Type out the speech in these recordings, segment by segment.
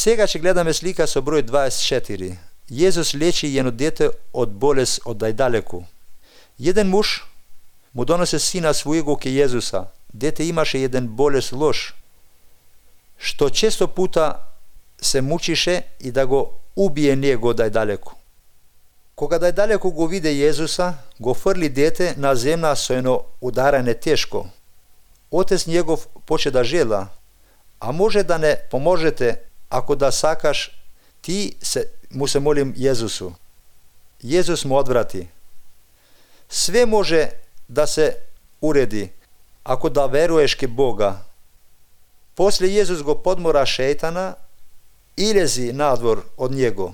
Сега ќе гледаме слика со број 24. Језус лечи едно дете од болест од дајдалеку. Еден муж му доносе сина својего ке Језуса. Дете имаше еден болест лош, што често пута се мучише и да го убие него дајдалеку. Кога дајдалеку го виде Језуса, го фрли дете на земја со едно ударање тешко. Отец негов поче да жела, а може да не поможете, ако да сакаш, му се молим Језусу. Језус му одврати. Све може да се уреди, ако да веруеш ке Бога. После Језус го подмора шејтана и лези надвор од него.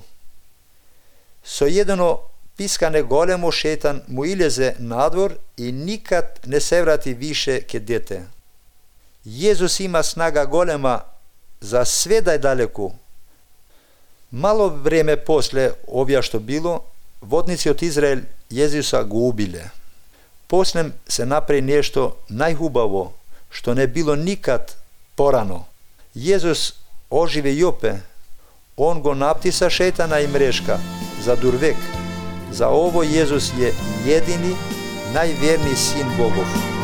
Со едно пискане големо шејтан му илезе надвор и никад не се врати више ке дете. Језус има снага голема за све дајдалеку. Мало време после овие што било, водници од Израел Језуса го убиле. После се направи нешто најхубаво, што не било никад порано. Језус оживе и опе. Он го наптиса шејтана и мрешка за дурвек. За ово Језус е едини, најверни син Богов.